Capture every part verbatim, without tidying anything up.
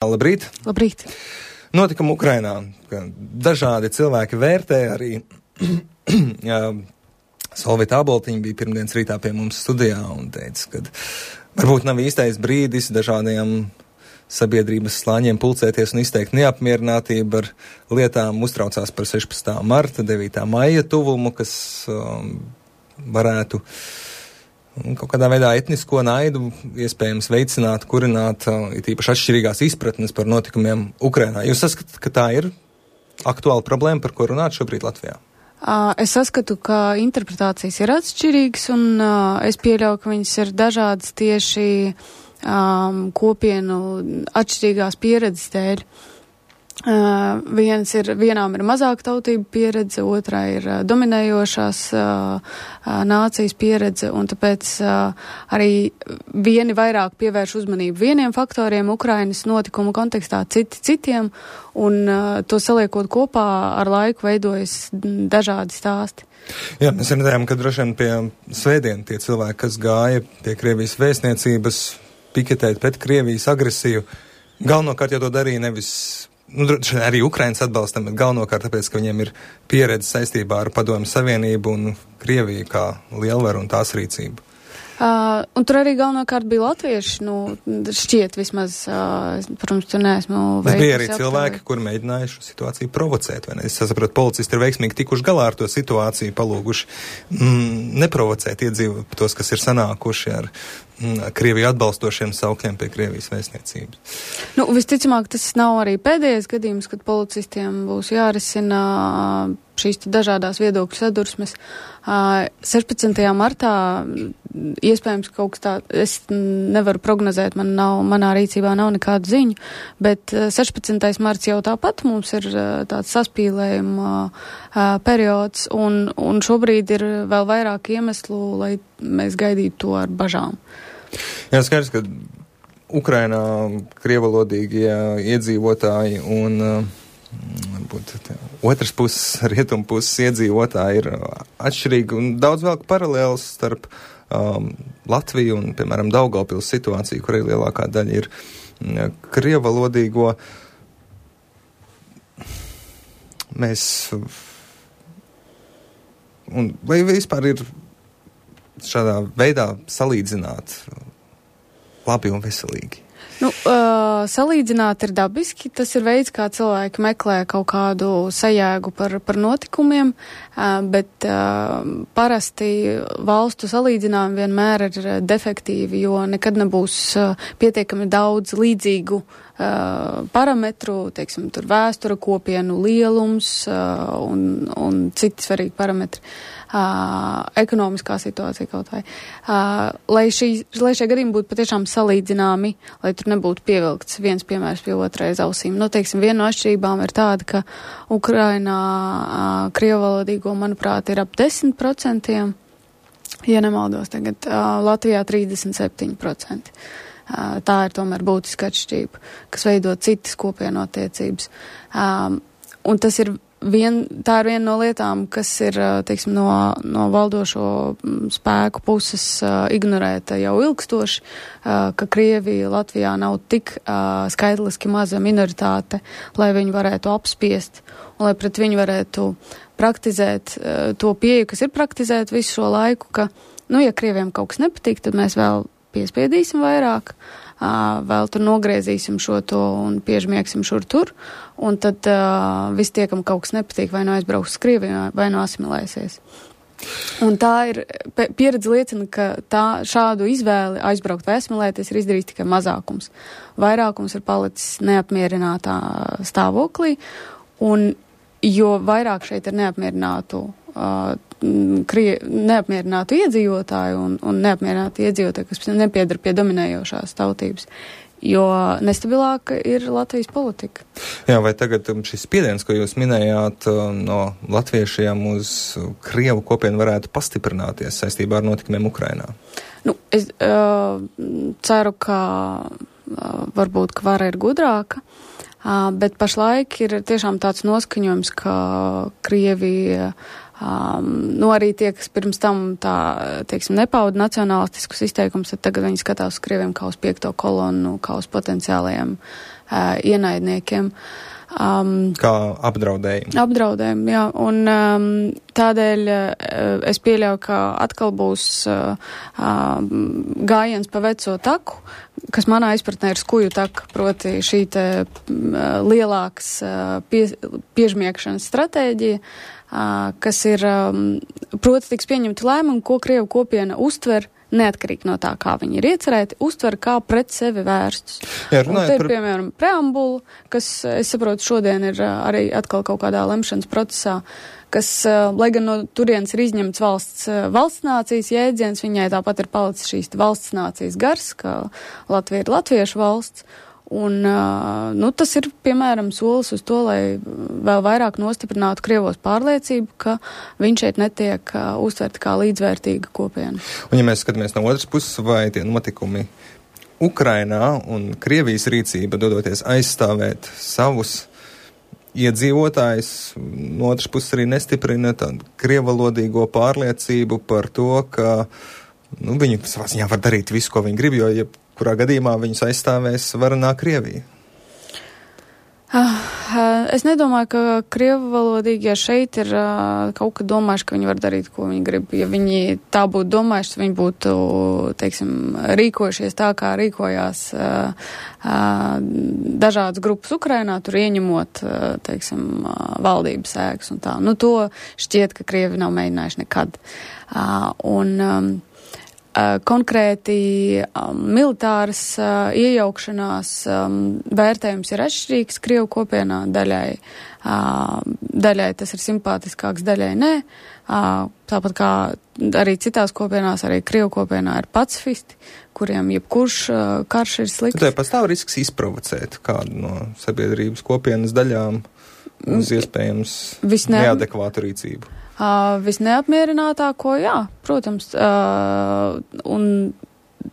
Labrīt! Labrīt! Notikumi Ukrainā. Dažādi cilvēki vērtē arī. Solvita Aboltiņa bija pirmdienas rītā pie mums studijā un teica, ka varbūt nav īstais brīdis dažādiem sabiedrības slāņiem pulcēties un izteikt neapmierinātību ar lietām. Uztraucās par sešpadsmitā marta, devītā maija tuvumu, kas um, varētu kaut kādā veidā etnisko naidu iespējams veicināt, kurināt, it īpaši atšķirīgās izpratnes par notikumiem Ukrainā. Jūs saskatāt, ka tā ir aktuāla problēma, par ko runāt šobrīd Latvijā? Es saskatu, ka interpretācijas ir atšķirīgas, un uh, es pieļauju, ka viņas ir dažādas tieši um, kopienu atšķirīgās pieredzes dēļ. Uh, viens ir, vienām ir mazāka tautība pieredze, otrā ir uh, dominējošās uh, uh, nācijas pieredze, un tāpēc uh, arī vieni vairāk pievērš uzmanību vieniem faktoriem Ukrainas notikumu kontekstā, citi citiem, un uh, to saliekot kopā ar laiku veidojas dažādi stāsti. Jā, mēs redzējām, ka droši vien pie svētdien tie cilvēki, kas gāja pie Krievijas vēstniecības piketēt pret Krievijas agresiju, galvenokārt jau to darīja nevis Nu, arī Ukrainas atbalstam, bet galvenokārt tāpēc, ka viņiem ir pieredze saistībā ar Padomju Savienību un Krieviju kā lielvaru un tās rīcību. Uh, un tur arī galvenokārt bija latvieši, nu, šķiet vismaz, uh, protams, tur neesmu veikusi. Bija arī cilvēki, kuri mēģināja šo situāciju provocēt, vai ne? Es saprotu, policisti ir veiksmīgi tikuši galā ar to situāciju, palūguši mm, neprovocēt iedzīvu tos, kas ir sanākuši ar mm, Krieviju atbalstošiem saukļiem pie Krievijas vēstniecības. Nu, visticamāk, tas nav arī pēdējais gadījums, kad policistiem būs jārisina šīs dažādās viedokļu sadursmes. sešpadsmitajā martā iespējams kaut kas tā, es nevaru prognozēt, man nav, manā rīcībā nav nekādu ziņu, bet sešpadsmitais marts jau tāpat mums ir tāds saspīlējuma periods, un, un šobrīd ir vēl vairāk iemeslu, lai mēs gaidītu to ar bažām. Jā, skaidrs, ka Ukrainā krievalodīgie iedzīvotāji un varbūt otras puses, rietumu puses iedzīvotāji ir atšķirīgi un daudz vēl paralēls starp um, Latviju un, piemēram, Daugavpils situāciju, kur arī lielākā daļa ir krievalodīgo. Mēs un vai vispār ir šādā veidā salīdzināt labi un veselīgi? Nu, uh, salīdzināt ir dabiski, tas ir veids, kā cilvēki meklē kaut kādu sajēgu par, par notikumiem, uh, bet uh, parasti valstu salīdzinājumi vienmēr ir defektīvi, jo nekad nebūs uh, pietiekami daudz līdzīgu uh, parametru, teiksim, tur vēstura, kopienu lielums uh, un, un citi svarīgi parametri. Uh, ekonomiskā situācija kaut vai. Uh, lai, šī, lai šie gadījumi būtu patiešām salīdzināmi, lai tur nebūtu pievilkts viens piemērs pie otrai ausīm. Nu, teiksim, viena no atšķirībām ir tāda, ka Ukrainā uh, krievalodīgo, manuprāt, ir ap desmit procentiem, ja nemaldos tagad, uh, Latvijā trīsdesmit septiņi procenti. Uh, tā ir tomēr būtiska atšķirība, kas veido citas kopienottiecības. Um, un tas ir Vien, tā ir viena no lietām, kas ir, teiksim, no, no valdošo spēku puses uh, ignorēta jau ilgstoši, uh, ka Krievija Latvijā nav tik uh, skaitliski maza minoritāte, lai viņi varētu apspiest un lai pret viņu varētu praktizēt uh, to pieeju, kas ir praktizēt visu šo laiku, ka, nu, ja Krieviem kaut kas nepatīk, tad mēs vēl piespiedīsim vairāk, uh, vēl tur nogriezīsim šo to un piežmiegsim šur tur, un tad uh, viss tie, kam kaut kas nepatīk, vai nu aizbrauks uz Krieviju, vai nu asimilēsies. Un tā ir, pieredze liecina, ka tā šādu izvēli aizbraukt vai asimilēties ir izdarījis tikai mazākums. Vairākums ir palicis neapmierinātā stāvoklī, un jo vairāk šeit ir neapmierinātu uh, Krie, neapmierinātu iedzīvotāju un, un neapmierinātu iedzīvotāju, kas nepiedar pie dominējošās tautības, jo nestabilāka ir Latvijas politika. Jā, vai tagad šis spiediens, ko jūs minējāt no latviešiem uz Krievu kopienu, varētu pastiprināties saistībā ar notikumiem Ukrainā? Nu, es uh, ceru, ka uh, varbūt, ka vara ir gudrāka, uh, bet pašlaik ir tiešām tāds noskaņojums, ka Krievija Um, nu arī tie, kas pirms tam tā, teiksim, nepauda nacionālistiskus izteikumus, tad tagad viņi skatās uz Krieviem kā uz piekto kolonu, kā uz potenciālajiem uh, ienaidniekiem. Um, Kā apdraudējumu. Apdraudējumu, jā. Un um, tādēļ uh, es pieļauju, ka atkal būs uh, uh, gājiens pa veco taku, kas manā izpratnē ir skuju taka, proti šī te uh, lielāks uh, pie, piežmiekšanas stratēģija, uh, kas ir, um, proti tiks pieņemta lēmumu, ko Krievu kopiena uztver neatkarīgi no tā, kā viņi ir iecerēti, uztver kā pret sevi vērstus. Jā, un te ir, par... piemēram, preambula, kas, es saprotu, šodien ir arī atkal kaut kādā lemšanas procesā, kas, lai gan no turienes ir izņemts valsts, valsts nācijas jēdziens, viņai tāpat ir palicis šīs valsts nācijas gars, ka Latvija ir latviešu valsts. Un, nu, tas ir, piemēram, solis uz to, lai vēl vairāk nostiprinātu Krievos pārliecību, ka viņš šeit netiek uh, uztverti kā līdzvērtīga kopiena. Un, ja mēs skatāmies no otras puses, vai tie notikumi Ukrainā un Krievijas rīcība dodoties aizstāvēt savus iedzīvotājus, no otras puses arī nestiprina tādu krievalodīgo pārliecību par to, ka nu, viņi savā ziņā var darīt visu, ko viņi grib, jo ja kurā gadījumā viņus aizstāvēs varanā Krievija? Es nedomāju, ka krievu valodīgie šeit ir kaut kad domājuši, ka viņi var darīt, ko viņi grib. Ja viņi tā būtu domājuši, viņi būtu, teiksim, rīkojušies tā, kā rīkojās dažādas grupas Ukrainā, tur ieņemot, teiksim, valdības ēkas un tā. Nu, to šķiet, ka Krievi nav mēģinājuši nekad. Un Uh, konkrēti um, militāras uh, iejaukšanās um, vērtējums ir atšķirīgs Krievu kopienā, daļai, uh, daļai tas ir simpātiskāks, daļai nē. Uh, tāpat kā arī citās kopienās, arī Krievu kopienā ir pacifisti, kuriem jebkurš uh, karš ir slikts. Tad pastāv risks izprovocēt kādu no sabiedrības kopienas daļām uz iespējams Visne... neadekvātu rīcību. Uh, visneapmierinātāko, jā, protams, uh, un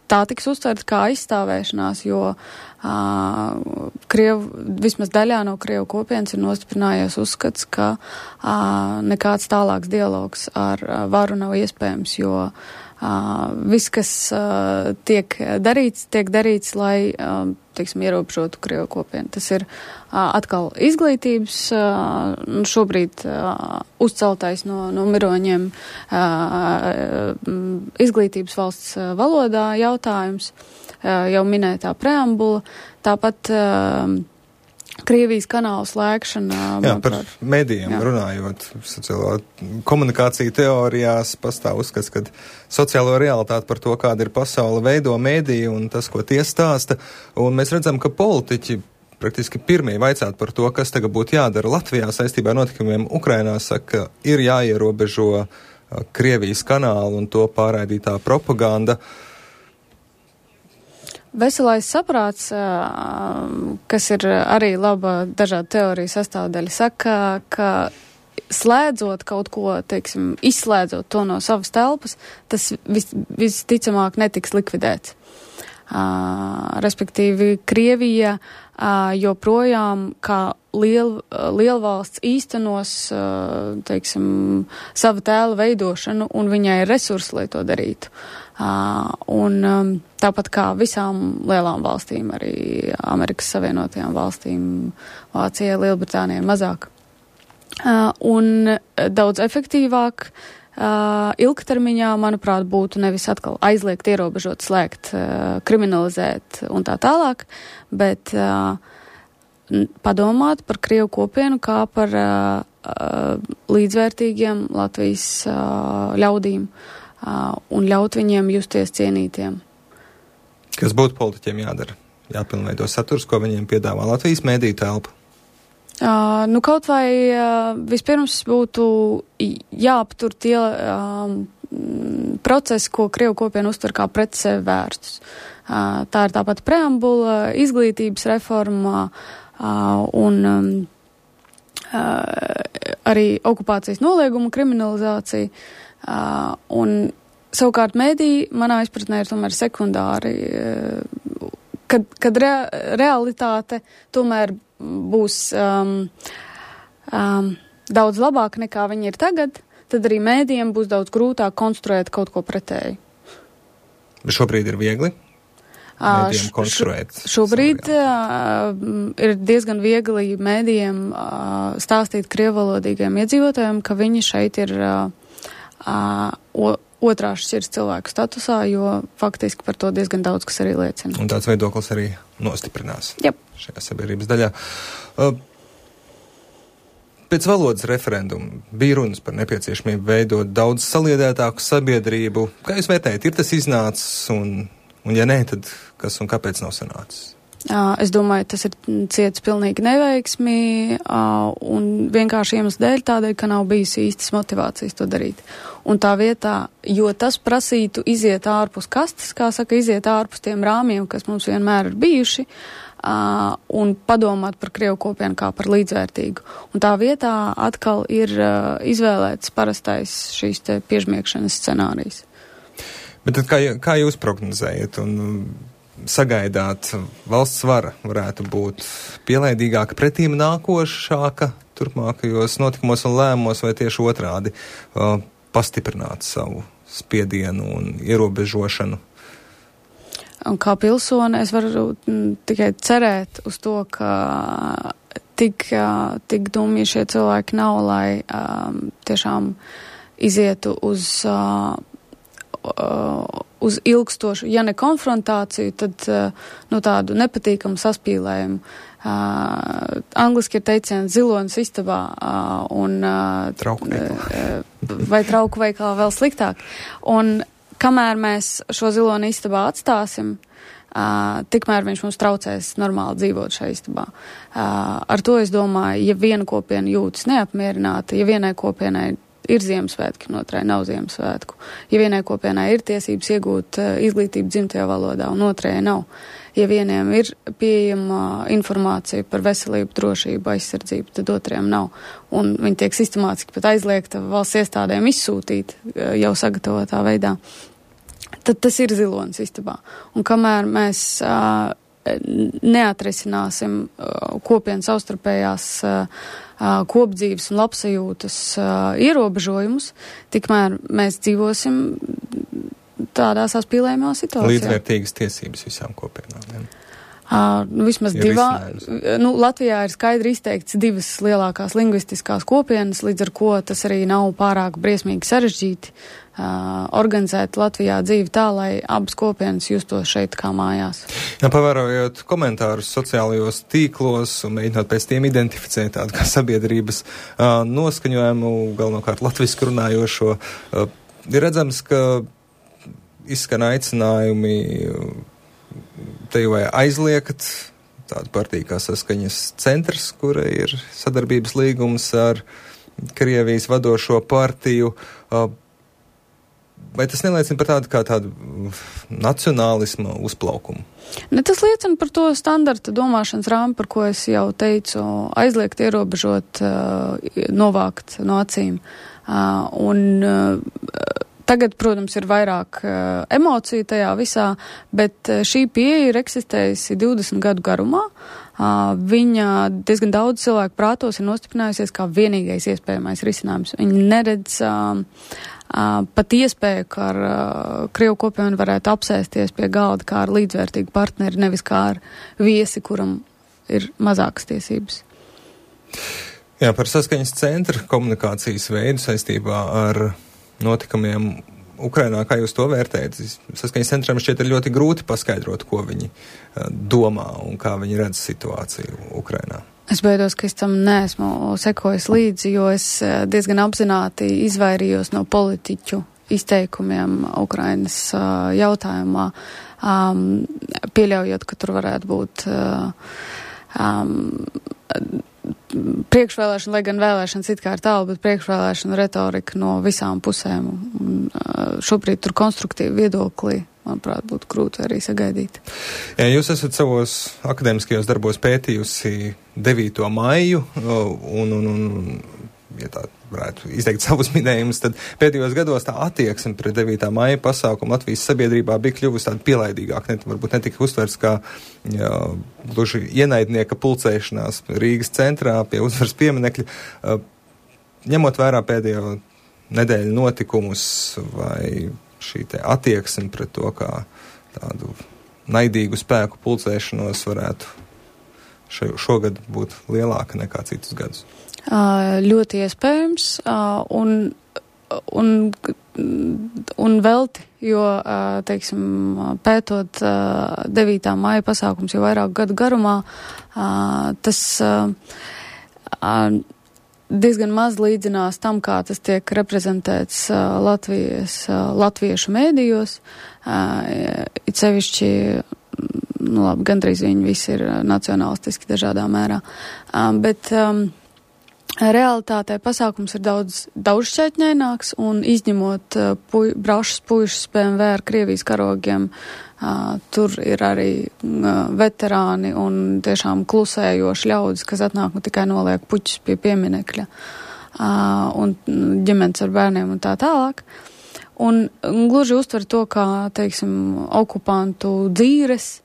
tā tiks uztverta kā aizstāvēšanās, jo uh, Krievu, vismaz daļā no Krievu kopienas ir nostiprinājies uzskats, ka uh, nekāds tālāks dialogs ar uh, varu nav iespējams, jo uh, viss, kas uh, tiek darīts, tiek darīts, lai, uh, teiksim, ierobežotu Krievu kopienu. Tas ir uh, atkal izglītības, uh, šobrīd uh, uzceltais no, no miroņiem uh, izglītības valsts uh, valodā jautājums, uh, jau minētā preambula, tāpat uh, Krievijas kanālu slēgšana. Jā, par medijiem jā. runājot, sociālo komunikāciju teorijās pastāv uzskats, ka sociālo realitāti par to, kāda ir pasaule, veido mediji un tas, ko tie stāsta. Un mēs redzam, ka politiķi praktiski pirmie vaicāt par to, kas tagad būtu jādara Latvijā saistībā ar notikumiem Ukrainā, saka, ir jāierobežo Krievijas kanālu un to pārraidītā propaganda. Veselais saprāts, kas ir arī laba dažādu teoriju sastāvdaļa, saka, ka slēdzot kaut ko, teiksim, izslēdzot to no savas telpas, tas vis, visticamāk netiks likvidēts. Uh, respektīvi, Krievija uh, joprojām kā liel, lielvalsts īstenos, uh, teiksim, savu tēlu veidošanu, un viņai ir resursi, lai to darītu. Uh, un um, tāpat kā visām lielām valstīm, arī Amerikas Savienotajām valstīm, Vācijai, Lielbritānijai mazāk. Uh, un daudz efektīvāk Uh, ilgtermiņā, manuprāt, būtu nevis atkal aizliegt, ierobežot, slēgt, uh, kriminalizēt un tā tālāk, bet uh, padomāt par Krievu kopienu kā par uh, uh, līdzvērtīgiem Latvijas uh, ļaudīm uh, un ļaut viņiem justies cienītiem. Kas būtu politiķiem jādara? Jāpilnveido saturs, ko viņiem piedāvā Latvijas mēdīju telpa? Uh, nu, kaut vai uh, vispirms būtu jāaptur tie uh, procesi, ko Krievu kopiena uztver kā pret sevi vērstus. Uh, tā ir tāpat preambula, izglītības reforma uh, un um, uh, arī okupācijas nolieguma kriminalizācija. Uh, un savukārt mēdī, manā izpratnē, ir tomēr sekundāri, uh, kad, kad rea, realitāte tomēr būs um, um, daudz labāka nekā viņi ir tagad, tad arī mēdījiem būs daudz grūtāk konstruēt kaut ko pretēju. Šobrīd ir viegli? mēdījiem konstruēt? Š, šobrīd uh, ir diezgan viegli mēdījiem uh, stāstīt krievalodīgiem iedzīvotājiem, ka viņi šeit ir uh, uh, otrās šķirs cilvēku statusā, jo faktiski par to diezgan daudz, kas arī liecina. Un tāds viedoklis arī nostiprinās yep. šajā sabiedrības daļā. Uh, Pēc valodas referenduma bija runas par nepieciešamību veidot daudz saliedētāku sabiedrību. Kā jūs vērtējat, ir tas iznācis, un, un ja nē, tad kas un kāpēc nav sanācis? Es domāju, tas ir ciets pilnīgi neveiksmi, un vienkārši iemesls dēļ tādēļ, ka nav bijusi īstas motivācijas to darīt. Un tā vietā, jo tas prasītu iziet ārpus kastes, kā saka, iziet ārpus tiem rāmjiem, kas mums vienmēr ir bijuši, Uh, un padomāt par Krievu kopienu kā par līdzvērtīgu. Un tā vietā atkal ir uh, izvēlēts parastais šīs te piežmiegšanas scenārijs. Bet tad kā, kā jūs prognozējat un sagaidāt, valsts vara varētu būt pielaidīgāka, pretīm nākošāka turpmākajos notikumos un lēmumos, vai tieši otrādi uh, pastiprināt savu spiedienu un ierobežošanu? Un kā pilsone es varu tikai cerēt uz to, ka tik, tik dumji šie cilvēki nav, lai um, tiešām izietu uz, uh, uh, uz ilgstošu, ja ne konfrontāciju, tad uh, nu, tādu nepatīkamu saspīlējumu. Uh, angliski ir teiciens zilonis istabā uh, un uh, trauku veikalā. vai trauku veikalā vēl sliktāk. Un kamēr mēs šo ziloni istabā atstāsim, uh, tikmēr viņš mums traucēs normāli dzīvot šajā istabā. Uh, ar to es domāju, ja viena kopiena jūtas neapmierināta, ja vienai kopienai ir Ziemassvētki, un otrai nav Ziemassvētku, ja vienai kopienai ir tiesības iegūt uh, izglītību dzimtajā valodā, un otrajai nav, ja vieniem ir pieejama informācija par veselību, drošību, aizsardzību, tad otriem nav. Un viņi tiek sistemātiski pat aizliegta valsts iestādēm izsūtīt jau sagatavotā veidā. Tad tas ir zilonis istabā. Un kamēr mēs uh, neatrisināsim uh, kopienas savstarpējās uh, kopdzīves un labsajūtas uh, ierobežojumus, tikmēr mēs dzīvosim tādā saspīlējumā situācijā. Līdzvērtīgas tiesības visām kopienām. Ja? Uh, nu, vismaz ir divā, nu, Latvijā ir skaidri izteikts divas lielākās lingvistiskās kopienas, līdz ar ko tas arī nav pārāk briesmīgi sarežģīti uh, organizēt Latvijā dzīvi tā, lai abas kopienas justos šeit kā mājās. Jā, pavērojot komentārus sociālajos tīklos un mēģinot pēc tiem identificēt tādu kā sabiedrības uh, noskaņojumu, galvenokārt latviski runājošo, uh, ir redzams, ka izskan aicinājumi te jau vai aizliegt tādu partiju kā Saskaņas centrs, kura ir sadarbības līgums ar Krievijas vadošo partiju. Vai tas neliecina par tādu kā tādu nacionālisma uzplaukumu? Ne, tas liecina par to standarta domāšanas rāmu, par ko es jau teicu, aizliegt, ierobežot, novākt no acīm. Un tagad, protams, ir vairāk uh, emociju tajā visā, bet uh, šī pieeja ir eksistējusi divdesmit gadu garumā. Uh, viņa diezgan daudz cilvēku prātos ir nostiprinājusies kā vienīgais iespējamais risinājums. Viņi neredz uh, uh, pat iespēju, ka ar uh, Krievu kopienu varētu apsēsties pie galda kā ar līdzvērtīgu partneri, nevis kā ar viesi, kuram ir mazākas tiesības. Jā, par Saskaņas centra komunikācijas veidu saistībā ar notikumiem Ukrainā, kā jūs to vērtējat? Saskaņas centram šķiet ir ļoti grūti paskaidrot, ko viņi domā un kā viņi redz situāciju Ukrainā. Es baidos, ka es tam neesmu sekojis līdzi, jo es diezgan apzināti izvairījos no politiķu izteikumiem Ukrainas uh, jautājumā, um, pieļaujot, ka tur varētu būt uh, um, priekšvēlēšana, lai gan vēlēšanas it kā ir tālu, bet priekšvēlēšana retorika no visām pusēm. Un, uh, šobrīd tur konstruktīvi viedokli, manuprāt, būtu grūti arī sagaidīt. Jā, jūs esat savos akadēmiskajos darbos pētījusi devīto maiju, un, un, un ja tā varētu izteikt savus minējumus, tad pēdējos gados tā attieksme pret devītā maija pasākumu Latvijas sabiedrībā bija kļuvusi tāda pielaidīgāka, ne, varbūt netika uztverts kā jā, gluži ienaidnieka pulcēšanās Rīgas centrā pie uzvaras pieminekļa. Ņemot vērā pēdējo nedēļu notikumus vai šī te attieksme pret to kā tādu naidīgu spēku pulcēšanos varētu šo, šogad būt lielāka nekā citus gadus? Uh, ļoti iespējams, uh, un, un, un velti, jo, uh, teiksim, pētot uh, devītā maija pasākums jau vairāk gadu garumā, uh, tas uh, uh, diezgan maz līdzinās tam, kā tas tiek reprezentēts uh, Latvijas, uh, latviešu mēdījos, uh, it sevišķi, nu labi, gandrīz viņi visi ir nacionalistiski dažādā mērā, uh, bet um, realitātē pasākums ir daudz daudzšķaitņaināks, un izņemot uh, puj, brašas puišas P M V ar Krievijas karogiem, uh, tur ir arī uh, veterāni un tiešām klusējoši ļaudis, kas atnāk un tikai noliek puķus pie pieminekļa, uh, un ģimenes ar bērniem un tā tālāk. Un, un gluži uztver to, kā, teiksim, okupantu dzīres,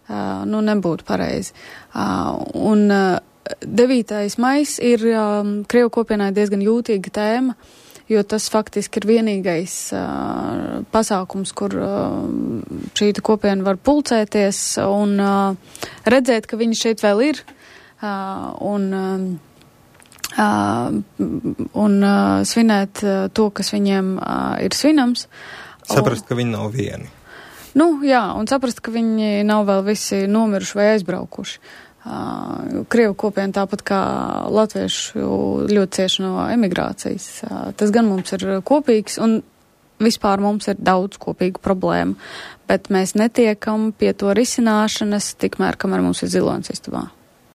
uh, nu, nebūtu pareizi. Uh, un uh, devītais maijs ir um, Krievu kopienai diezgan jūtīga tēma, jo tas faktiski ir vienīgais uh, pasākums, kur uh, šī kopiena var pulcēties un uh, redzēt, ka viņi šeit vēl ir uh, un, uh, un uh, svinēt uh, to, kas viņiem uh, ir svinams. Saprast, ka viņi nav vieni. Nu, jā, un saprast, ka viņi nav vēl visi nomiruši vai aizbraukuši. Uh, Krievu kopiena tāpat kā latviešu ļoti cieši no emigrācijas. Uh, tas gan mums ir kopīgs, un vispār mums ir daudz kopīgu problēmu, bet mēs netiekam pie to risināšanas tikmēr, kamēr mums ir zilonis istabā.